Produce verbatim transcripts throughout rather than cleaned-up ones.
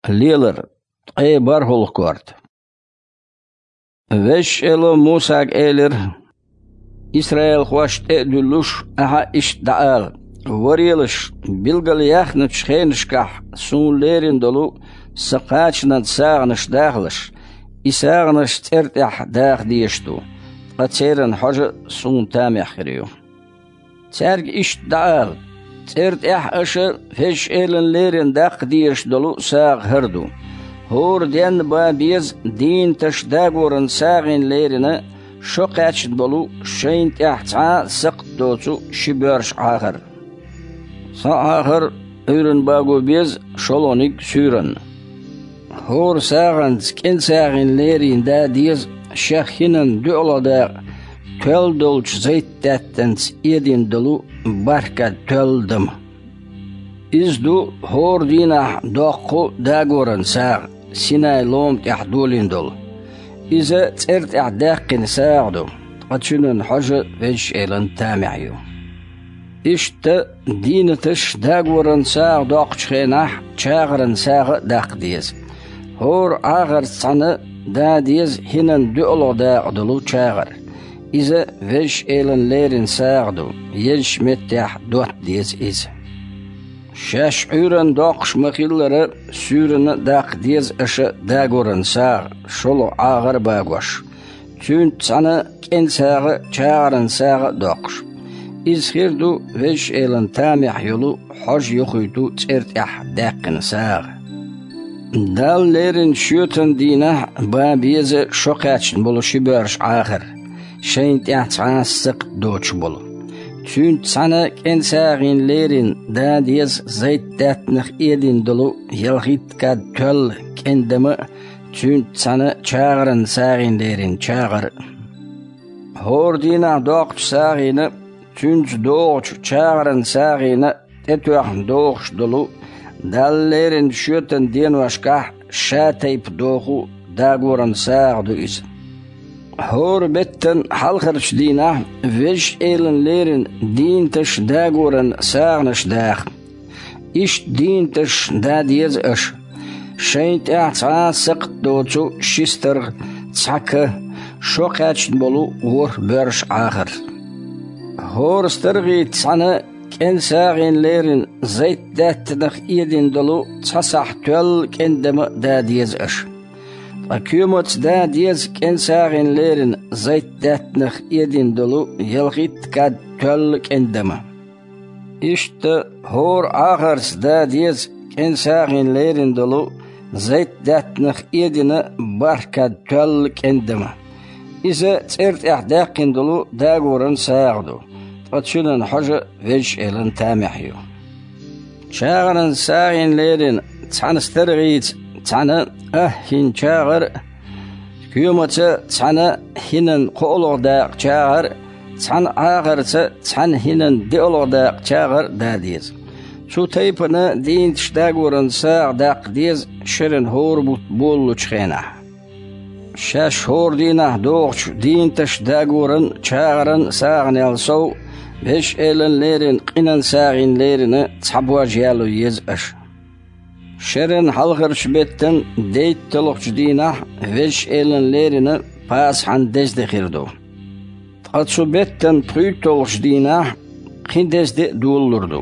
Лелар, ткъе бархӀалгӀа корта. Везачу Эло Мусага элира: «Исраилхошна тӀе а дуьллуш, ахьа иштта дӀаала: „Варелаш, билгалъяьхначу хенашкахь суна лерина долу сан кхачанан сагӀанаш дахалаш, и сагӀанаш цӀера тӀехь даха дезаш ду, ткъа церан хьожа суна тамехь хир ю“». Цаьрга иштта дӀаала: «ЦӀера тӀехь аша Везачу Элана лерина даккха дезаш долу сагӀа хӀара ду: хӀора денна бан беза дийнаташ дагоран сагӀина лерина шо кхаьчна болу, шайна тӀехь цхьа а сакхт доцу ши боьрша Ӏахар. Цхьа Ӏахар Ӏуьйранна баго беза, шолгӀаниг суьйранна. ХӀора сагӀанца кӀен сагӀина лерина да деза шех хӀинан доьалгӀа дакъа тоьлла долчу зайтдаьттанца эдина долу бархӀ кад тоьлла дама. Иза ду хӀора дийнахь доккху дагоран сагӀа, Синай лома тӀехь долийна долу. Иза цӀера тӀехь даьккхина сагӀа ду, ткъа цуьнан хьожа Везачу Элана тамехь ю». Иштта дийнаташ дагоран сагӀа доккхучу хенахь чагӀаран сагӀа а даккха деза. ХӀора Ӏахарца цхьаьна да деза хӀинан доьалгӀа дакъа долу чагӀар. Иза Везачу Элана лерина сагӀа ду, езачу меттехь дотта деза иза. Шаьш Ӏуьйранна доккхуш ма-хиллара, суьйранна а даккха деза аша дагоран сагӀа, шолгӀа Ӏахар а багош, цуьнца цхьаьна кӀен сагӀа а, чагӀаран сагӀа а доккхуш. Иза хир ду Везачу Элана тамехь йолу хьожа юхуьйту цӀера тӀехь даьккхина сагӀа. Далла леррина шоьтан дийнахь бан беза шо кхаьчна болу ши боьрша Ӏахар, шайна тӀехь цхьа а сакхт доцуш болу. Цуьнца цхьаьна кӀен сагӀина леррина да деза зайтдаьттанах эдина долу ялхитта кад тоьлла кӀен дама а, цуьнца цхьаьна чагӀаран сагӀина леррина чагӀар а. ХӀора дийнахь доккхучу сагӀина а, цуьнца догӀучу чагӀаран сагӀина а тӀетоьхна догӀуш долу, Далла леррина шоьтан деношкахь ша тайпа доху дагоран сагӀа ду иза. ХӀора беттан хьалхарчу дийнахь Везачу Элана леррина дийнаташ дагоран сагӀанаш даха. Иштта дийнаташ да деза аша: шайна тӀехь цхьа а сакхт доцу ши старгӀа, цхьа ка, шо кхаьчна болу ворхӀ боьрша Ӏахар. ХӀора старгӀица цхьаьна кӀен сагӀина леррина зайтдаьттанах эдина долу цхьа сахь тоьлла кӀен дама а да деза аша. Ткъа коьмаца да деза кӀен сагӀина леррина зайтдаьттанах эдина долу ялхитта кад тоьлла кӀен дама. Иштта хӀора Ӏахарца да деза кӀен сагӀина леррина долу зайтдаьттанах эдина бархӀ кад тоьлла кӀен дама. Иза цӀера тӀехь даьккхина долу дагоран сагӀа ду, ткъа цуьнан хьожа Везачу Элана тамехь ю. ЧагӀаран сагӀина леррина цхьана старгӀица цхьаьна ахь хӀин чагӀар а, коьмаца цхьаьна хӀинан кхоалгӀа дакъа чагӀар а, цхьана Ӏахарца цхьаьна хӀинан диалгӀа дакъа чагӀар а да деза. Цу тайпана дийнаташ дагоран сагӀа даккха деза шеран хӀора бутт болалучу хенахь. Шаьш хӀора дийнахь догӀучу дийнаташ дагоран, чагӀаран сагӀанел сов, Везачу Элана леррина къинан сагӀина леррина цхьа бож яло еза аша. Шеран хьалхарчу беттан дейтталгӀачу дийнахь Везачу Элана леррина Пасахьан деза де хир ду. Ткъа цу беттан пхийтталгӀачу дийнахь кхин деза де а долалур ду,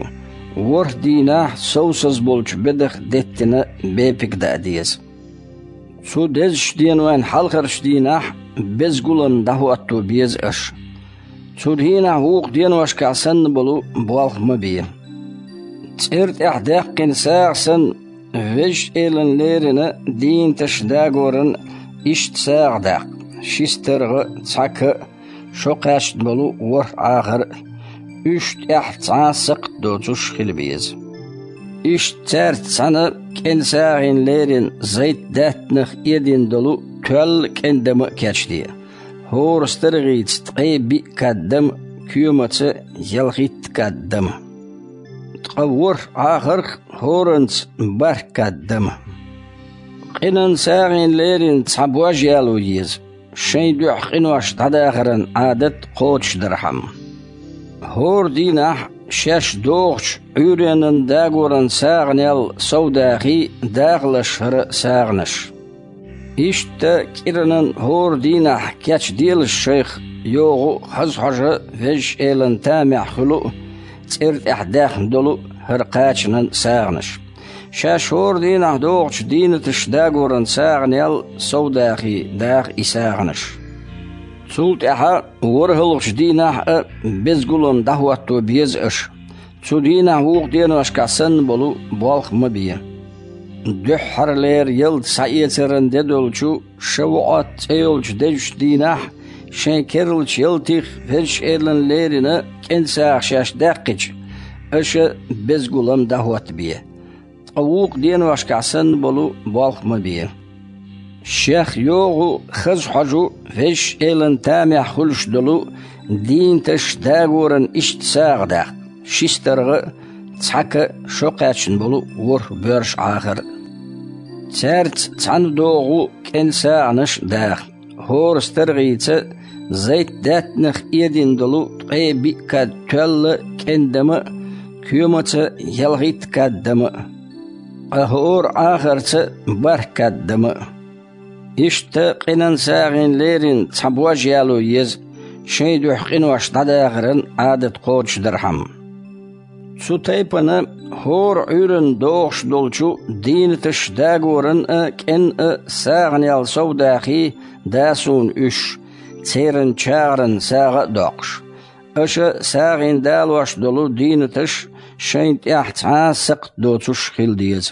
ворхӀ дийнахь совсаза болчу бедах деттина бепиг даа деза. Цу дезачу денойн хьалхарчу дийнахь беза гулам дӀахӀотто беза аша. Цу дийнахь вукху деношкахь санна болу болх ма бе. ЦӀера тӀехь даьккхина сагӀа санна, Везачу Элана леррина дийнаташ дагоран иштта сагӀа даккха: ши старгӀа а, цхьа ка а, шо кхаьчна болу ворхӀ Ӏахар а, уьш тӀехь цхьа а сакхт доцуш хила беза. Иштта цаьрца цхьаьна кӀен сагӀина леррина зайтдаьттанах эдина долу тоьлла кӀен дама а кечде: хӀора старгӀица ткъе биъ кад дама, коьмаца ялхитта кад дама. Ткъа ворхӀ Ӏахарх а, хӀоранца бархӀ кад дама. Къинан сагӀина леррина цхьа бож яло еза, шайн дуьхьа къинош дӀадахаран Ӏадат кхочушдархьама. ХӀора дийнахь шаьш дохучу Ӏуьйренан дагоран сагӀанел совдахий дахалаш хӀара сагӀанаш. Иштта кӀиранан хӀора дийнахь кечделаш шайх йогӀу хаза хьожа Везачу Элан тамехь хуьлу а, цӀера тӀехь даьхна долу а хӀара кхачанан сагӀанаш. Шаьш хӀора дийнахь дохучу дийнаташ дагоран сагӀанел совдахий даха и сагӀанаш. Цул тӀаьхьа ворхӀалгӀачу дийнахь а безгулам дӀахӀотто беза аша. Цу дийнахь вукху деношкахь санна болу болх ма бе. Дуьххьарлера ялта схьаэцаран де долчу Шавуӏат цӀе йолчу дезачу дийнахь шайн керлачу ялтих Везачу Элана лерина кӀен сагӀа шаьш даьккхича, аша безгулам дӀахӀоттабе. Ткъа вукху деношкахь санна болу болх ма бе. Шех йогӀу хаза хьожу Везачу Элан тамехь хуьлуш долу дийнаташ дагоран иштта сагӀа даха: ши старгӀа а, цхьа ка а, шо кхаьчна болу ворхӀ боьрша Ӏахар а. Цаьрца цхьаьна догӀу кӀен сагӀанаш а даха: хӀора старгӀийца зайтдаьттанах эдина долу ткъе биъ кад тоьлла а, кӀен дама а, коьмаца ялхитта кад дама а, ткъа хӀора Ӏахарца бархӀ кад дама а. Иштта къинан сагӀина лерина цхьа бож яло еза, шайн дуьхьа къинош дӀадахаран Ӏадат кхочушдархьама. Цу тайпана хӀора Ӏуьйранна догӀуш долчу дийнаташ дагоран а, кӀен а сагӀанел совдахий да суна уьш, церан чагӀаран сагӀа а доккхуш. Аша сагӀина далош долу дийнаташ шайна тӀехь цхьа а сакхт доцуш хила деза.